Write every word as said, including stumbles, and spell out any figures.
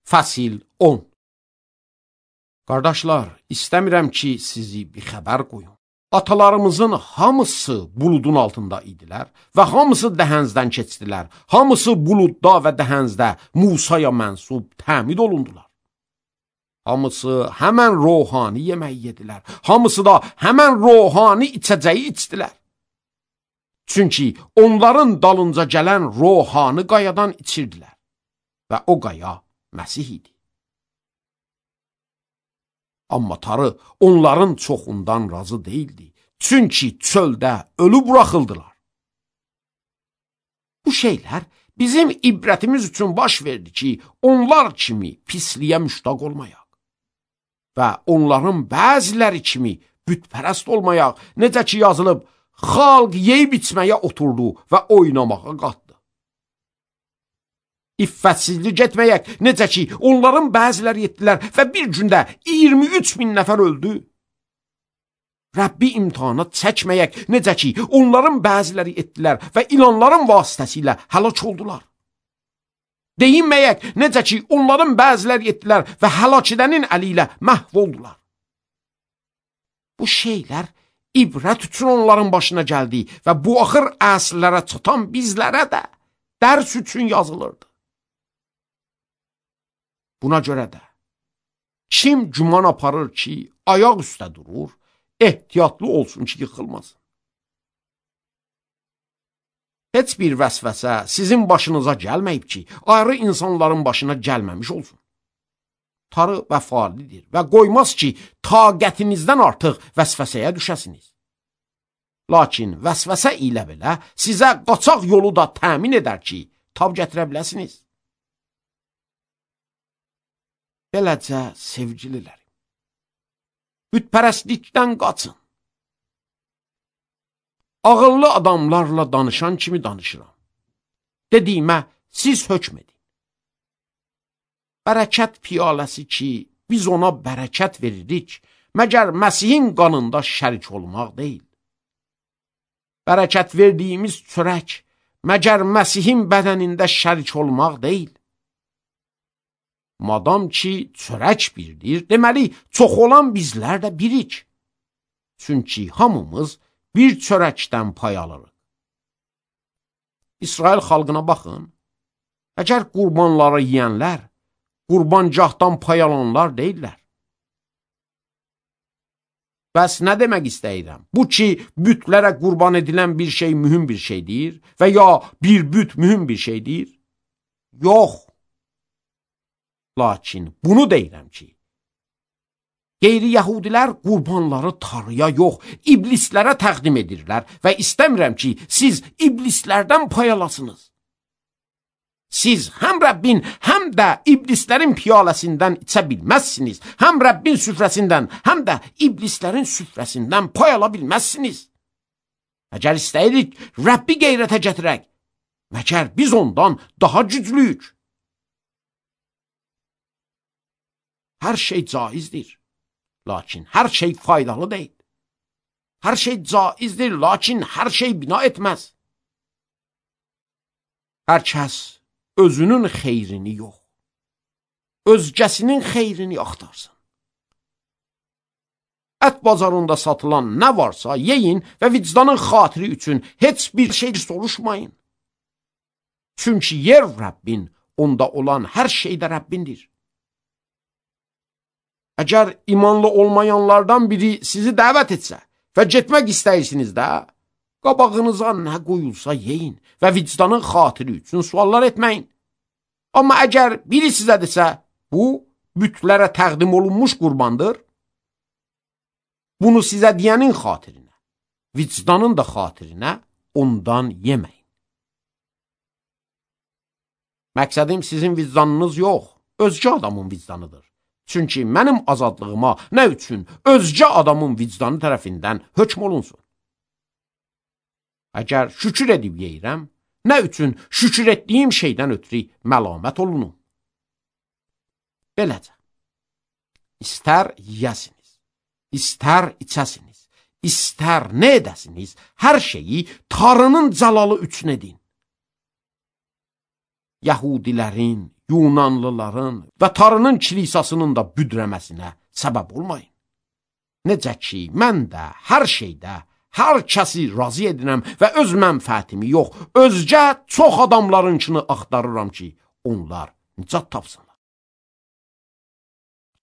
Fəsil on. Qardaşlar, istəmirəm ki, sizi bir xəbər qoyum. Atalarımızın hamısı buludun altında idilər və hamısı dəhəzdən keçdilər. Hamısı buludda və dəhəzdə Musaya mənsub təmid olundular. Hamısı həmən ruhani yemək yedilər. Hamısı da həmən ruhani içəcəyi içdilər. Çünki onların dalınca gələn ruhani qayadan içirdilər və o qaya Məsih idi. Amma Tanrı onların çoxundan razı deyildi. Çünki çöldə ölü buraxıldılar. Bu şeylər bizim ibrətimiz üçün baş verdi ki, onlar kimi pisliyə müştaq olmayaq və onların bəziləri kimi bütpərəst olmayaq. Necə ki yazılıb, xalq yeyib içməyə oturdu və oynamağa qatdı. İffətsizlik etməyək, necə ki onların bəziləri etdilər və bir gündə iyirmi üç min nəfər öldü. Rəbbi imtihana çəkməyək, necə ki onların bəziləri etdilər və ilanların vasitəsilə həlak oldular. Deyinməyək, necə ki onların bəziləri etdilər və həlak edənin əli ilə məhv oldular. Bu şeylər ibrət üçün onların başına gəldi və bu axır əsrlərə çatan bizlərə də dərs üçün yazılırdı. Buna görə də kim güman aparır ki, ayaq üstə durur, ehtiyatlı olsun ki, yıxılmasın. Heç bir vəsvəsə sizin başınıza gəlməyib ki, ayrı insanların başına gəlməmiş olsun. Tanrı vəfalidir və qoymaz ki, taqətinizdən artıq vəsvəsəyə düşəsiniz. Lakin vəsvəsə ilə belə sizə qaçaq yolu da təmin edər ki, tab gətirə biləsiniz. Beləcə, sevgililərim, bütpərəstlikdən qaçın. Ağıllı adamlarla danışan kimi danışıram. Dediyimə siz hökm edin. Bərəkət piyaləsi ki, biz ona bərəkət veririk, məgər Məsihin qanında şərik olmaq deyil. Bərəkət verdiyimiz çörək, məgər Məsihin bədənində şərik olmaq deyil. Madam ki, çörək birdir, deməli, çox olan bizlər də birik. Çünki hamımız bir çörəkdən pay alırıq. İsrail xalqına baxın, əgər qurbanları yiyənlər, qurbancaqdan pay alanlar deyirlər. Bəs nə demək istəyirəm? Bu ki, bütlərə qurban edilən bir şey mühüm bir şeydir və ya bir büt mühüm bir şeydir? Yox. Lakin bunu deyirəm ki, qeyri-yəhudilər qurbanları Tanrıya yox, iblislərə təqdim edirlər və istəmirəm ki, siz iblislərdən pay alasınız. Siz həm Rəbbin, həm də iblislərin piyaləsindən içə bilməzsiniz, həm Rəbbin süfrəsindən, həm də iblislərin süfrəsindən pay ala bilməzsiniz. Məgər istəyirik, Rəbbi qeyrətə gətirək, məgər biz ondan daha güclüyük. Hər şey caizdir, lakin hər şey faydalı deyil. Hər şey caizdir, lakin hər şey bina etməz. Hər kəs özünün xeyrini yox, özgəsinin xeyrini axtarsın. Ət bazarında satılan nə varsa yeyin və vicdanın xatiri üçün heç bir şey soruşmayın. Çünki yer Rəbbin, onda olan hər şey də Rəbbindir. Əgər imanlı olmayanlardan biri sizi dəvət etsə və getmək istəyirsiniz də, qabağınıza nə qoyulsa yeyin və vicdanın xatiri üçün suallar etməyin. Amma əgər biri sizə desə, bu bütlərə təqdim olunmuş qurbandır, bunu sizə deyənin xatirinə, vicdanın da xatirinə ondan yeməyin. Məqsədim sizin vicdanınız yox, özgə adamın vicdanıdır. Çünki mənim azadlığıma nə üçün özgə adamın vicdanı tərəfindən hökm olunsun? Əgər şükür edib yeyirəm, nə üçün şükür etdiyim şeydən ötürü məlamət olunum? Beləcə, istər yiyəsiniz, istər içəsiniz, istər nə edəsiniz, hər şeyi Tanrının cəlalı üçün edin. Yəhudilərin, Yunanlıların və Tarının kilisasının da büdrəməsinə səbəb olmayın. Necə ki, mən də hər şeydə hər kəsi razı edirəm və öz mənfəətimi yox, özgə çox adamlarınkini axtarıram ki, onlar nicat tapsınlar.